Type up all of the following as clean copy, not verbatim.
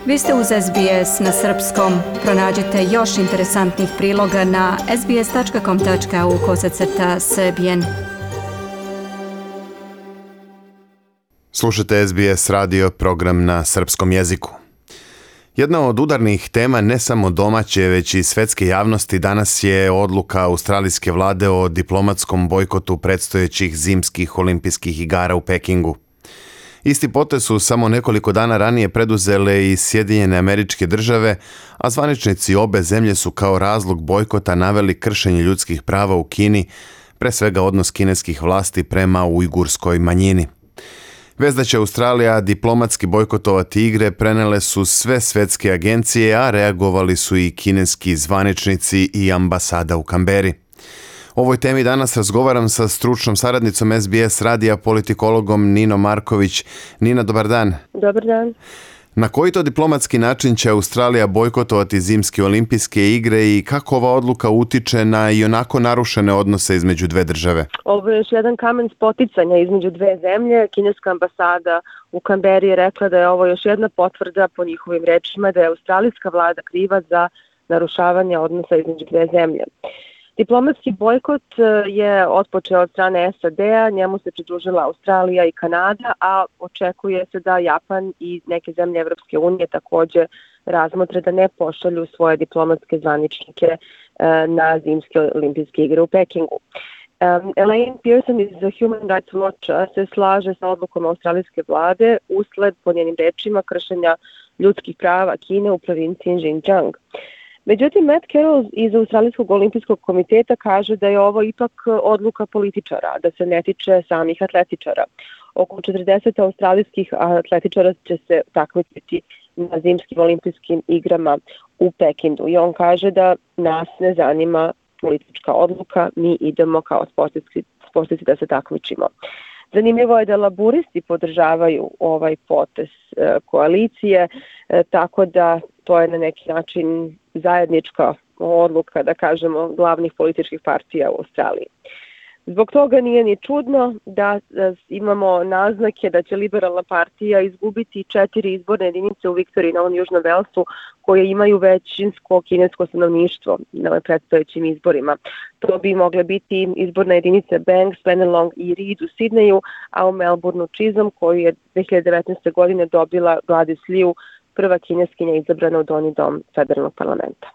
Vi ste uz SBS na srpskom. Pronađite još interesantnih priloga na sbs.com.au/srbijen. Slušajte SBS radio, program na srpskom jeziku. Jedna od udarnih tema ne samo domaće, već i svetske javnosti danas je odluka australijske vlade o diplomatskom bojkotu predstojećih zimskih olimpijskih igara u Pekingu. Isti potez su samo nekoliko dana ranije preduzele i Sjedinjene Američke Države, a zvaničnici obe zemlje su kao razlog bojkota naveli kršenje ljudskih prava u Kini, pre svega odnos kineskih vlasti prema ujgurskoj manjini. Vez da će Australija diplomatski bojkotovati igre prenele su sve svetske agencije, a reagovali su i kineski zvaničnici i ambasada u Kamberi. O ovoj temi danas razgovaram sa stručnom saradnicom SBS radija, politikologom Ninom Marković. Nina, dobar dan. Dobar dan. Na koji to diplomatski način će Australija bojkotovati zimske olimpijske igre i kako ova odluka utiče na i onako narušene odnose između dve države? Ovo je još jedan kamen spoticanja između dve zemlje. Kineska ambasada u Kamberi je rekla da je ovo još jedna potvrda po njihovim rečima da je australijska vlada kriva za narušavanje odnosa između dve zemlje. Diplomatski bojkot je otpočeo od strane SAD-a, njemu se pridružila Australija i Kanada, a očekuje se da Japan i neke zemlje Evropske unije također razmotre da ne pošalju svoje diplomatske zvaničnike na zimske olimpijske igre u Pekingu. Elaine Pearson iz Human Rights Watcha se slaže sa odlukom australijske vlade usled, po njenim rečima, kršenja ljudskih prava Kine u provinciji Xinjiang. Međutim, Matt Carroll iz Australijskog olimpijskog komiteta kaže da je ovo ipak odluka političara, da se ne tiče samih atletičara. Oko 40 australijskih atletičara će se takmičiti na zimskim olimpijskim igrama u Pekingu. I on kaže da nas ne zanima politička odluka, mi idemo kao sportisti da se takmičimo. Zanimljivo je da laburisti podržavaju ovaj potez koalicije, tako da to je na neki način zajednička odluka, da kažemo, glavnih političkih partija u Australiji. Zbog toga nije ni čudno da imamo naznake da će liberalna partija izgubiti 4 izborne jedinice u Viktoriji na ovom Južnom Velsu koje imaju većinsko kinesko stanovništvo na predstojećim izborima. To bi mogle biti izborne jedinice Banks, Penelong i Reid u Sidneju, a u Melbourneu Chisholm koju je 2019. godine dobila Gladys Liu, prva kineskinja izabrana u Donji dom federalnog parlamenta.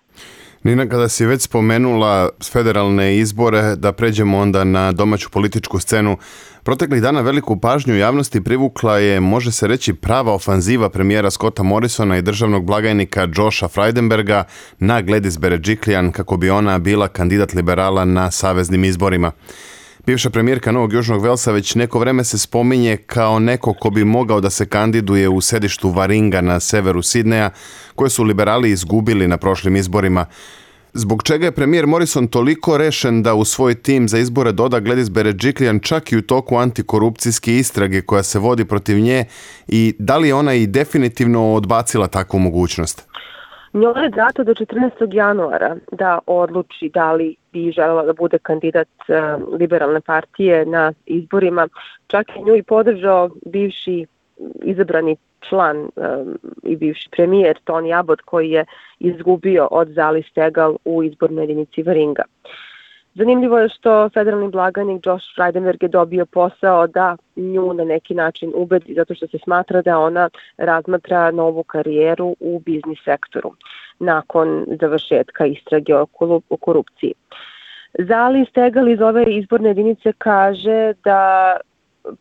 Nina, kada si već spomenula federalne izbore, da pređemo onda na domaću političku scenu. Proteklih dana veliku pažnju javnosti privukla je, može se reći, prava ofanziva premijera Scotta Morrisona i državnog blagajnika Josha Frydenberga na Gladys Berejiklian kako bi ona bila kandidat liberala na saveznim izborima. Bivša premijerka Novog Južnog Velsa već neko vreme se spominje kao neko ko bi mogao da se kandiduje u sedištu Warringa na severu Sidneja, koje su liberali izgubili na prošlim izborima. Zbog čega je premijer Morrison toliko rešen da u svoj tim za izbore doda Gladys Berejiklian čak i u toku antikorupcijske istrage koja se vodi protiv nje, i da li je ona i definitivno odbacila takvu mogućnost? Njoj je dato do 14. januara da odluči da li bi želela da bude kandidat liberalne partije na izborima. Čak i nju i podržao bivši izabrani član i bivši premijer Tony Abbott koji je izgubio od Zali Steggall u izbornoj jedinici Warringa. Zanimljivo je što federalni blagajnik Josh Frydenberg je dobio posao da nju na neki način ubedi zato što se smatra da ona razmatra novu karijeru u biznis sektoru nakon završetka istrage o korupciji. Zali Steggall iz ove izborne jedinice kaže da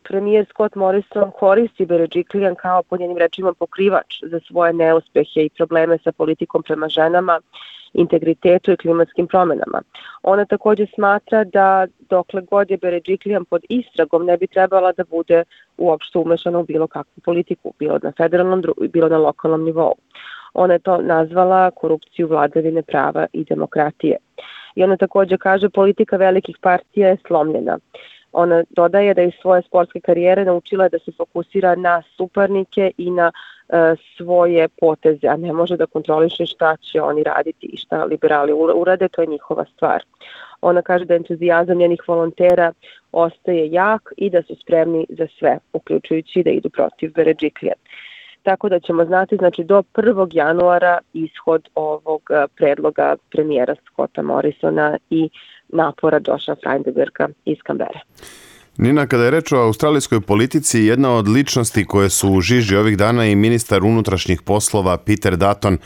premijer Scott Morrison koristi Berejiklian kao, po njenim rečima, pokrivač za svoje neuspehe i probleme sa politikom prema ženama, integritetu i klimatskim promjenama. Ona također smatra da dokle god je Berejiklian pod istragom ne bi trebala da bude uopšte umešana u bilo kakvu politiku, bilo na federalnom, bilo na lokalnom nivou. Ona je to nazvala korupciju vladavine prava i demokratije. I ona također kaže politika velikih partija je slomljena. Ona dodaje da iz svoje sportske karijere naučila da se fokusira na suparnike i na svoje poteze, a ne može da kontroliše šta će oni raditi i šta liberali urade, to je njihova stvar. Ona kaže da entuzijazam njenih volontera ostaje jak i da su spremni za sve, uključujući da idu protiv Berejiklian. tako da ćemo znati znači do 1. januara ishod ovog predloga premijera Scotta Morrisona i napora Josha Frydenberga iz Kambere. Nina, kada je reč o australijskoj politici, jedna od ličnosti koje su u žiži ovih dana je i ministar unutrašnjih poslova Peter Dutton.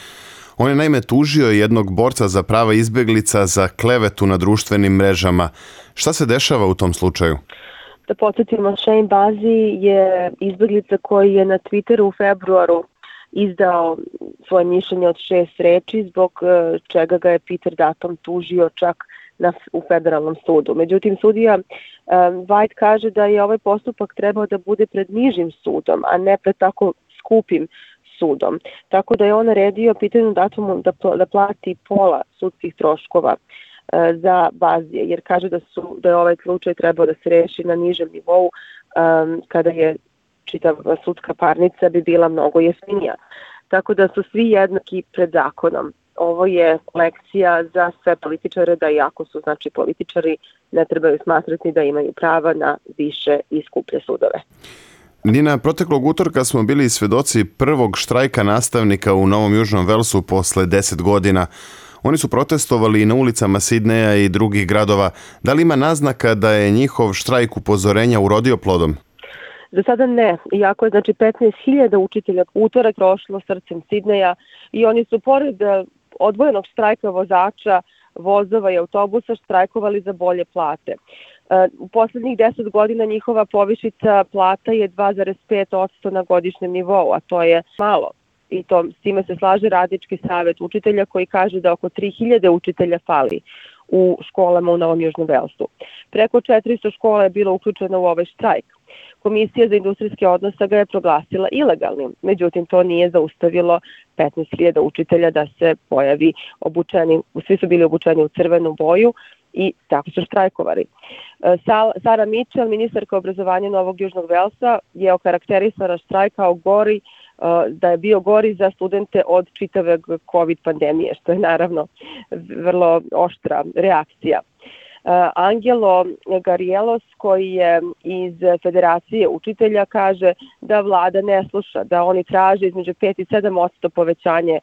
On je naime tužio jednog borca za prava izbjeglica za klevetu na društvenim mrežama. Šta se dešava u tom slučaju? Da podsjetimo, Shane Bazi je izbjeglica koji je na Twitteru u februaru izdao svoje mišljenje od 6 reči, zbog čega ga je Peter Dutton tužio čak u federalnom sudu. Međutim, sudija White kaže da je ovaj postupak trebao da bude pred nižim sudom, a ne pred tako skupim sudom. Tako da je on naredio Peteru Duttomu da plati pola sudskih troškova za Bazije, jer kaže da je ovaj slučaj trebao da se reši na nižem nivou, kada je čitava sudska parnica bi bila mnogo jeftinija. Tako da su svi jednaki pred zakonom. Ovo je lekcija za sve političare da iako su znači političari, ne trebaju smatrati da imaju prava na više i skuplje sudove. Nina, proteklog utorka smo bili svedoci prvog štrajka nastavnika u Novom Južnom Velsu posle 10 godina. Oni su protestovali na ulicama Sidneja i drugih gradova. Da li ima naznaka da je njihov štrajk upozorenja urodio plodom? Za sada ne, iako je znači 15.000 učitelja utorak prošlo srcem Sidneja i oni su pored odvojenog štrajka vozača, vozova i autobusa štrajkovali za bolje plate. U poslednjih 10 godina njihova povišica plata je 2,5% na godišnjem nivou, a to je malo. I s time se slaže Radnički savet učitelja koji kaže da oko 3.000 učitelja fali u školama u Novom Južnom Velsu. Preko 400 škola je bilo uključeno u ovaj štrajk. Komisija za industrijske odnose ga je proglasila ilegalnim, međutim to nije zaustavilo 15.000 učitelja da se pojavi obučeni, svi su bili obučeni u crvenu boju i tako su štrajkovali. Sara Mitchell, ministarka obrazovanja Novog Južnog Velsa, je okarakterisala štrajk kao gori, da je bio gori za studente od čitave COVID pandemije, što je naravno vrlo oštra reakcija. Angelo Garielos, koji je iz Federacije učitelja, kaže da vlada ne sluša, da oni traže između 5 i 7% povećanje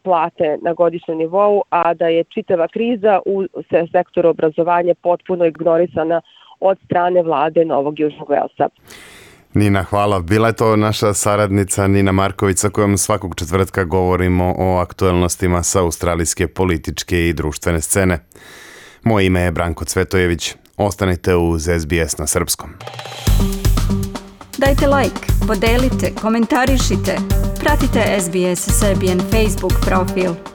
plate na godišnjem nivou, a da je čitava kriza u sektoru obrazovanja potpuno ignorisana od strane vlade Novog Južnog Velsa. Nina, hvala. Bila je to naša saradnica Nina Marković sa kojom svakog četvrtka govorimo o aktuelnostima sa australijske političke i društvene scene. Moje ime je Branko Cvetojević. Ostanite uz SBS na srpskom. Dajte like, podelite, komentarišite. Pratite SBS Serbian Facebook profil.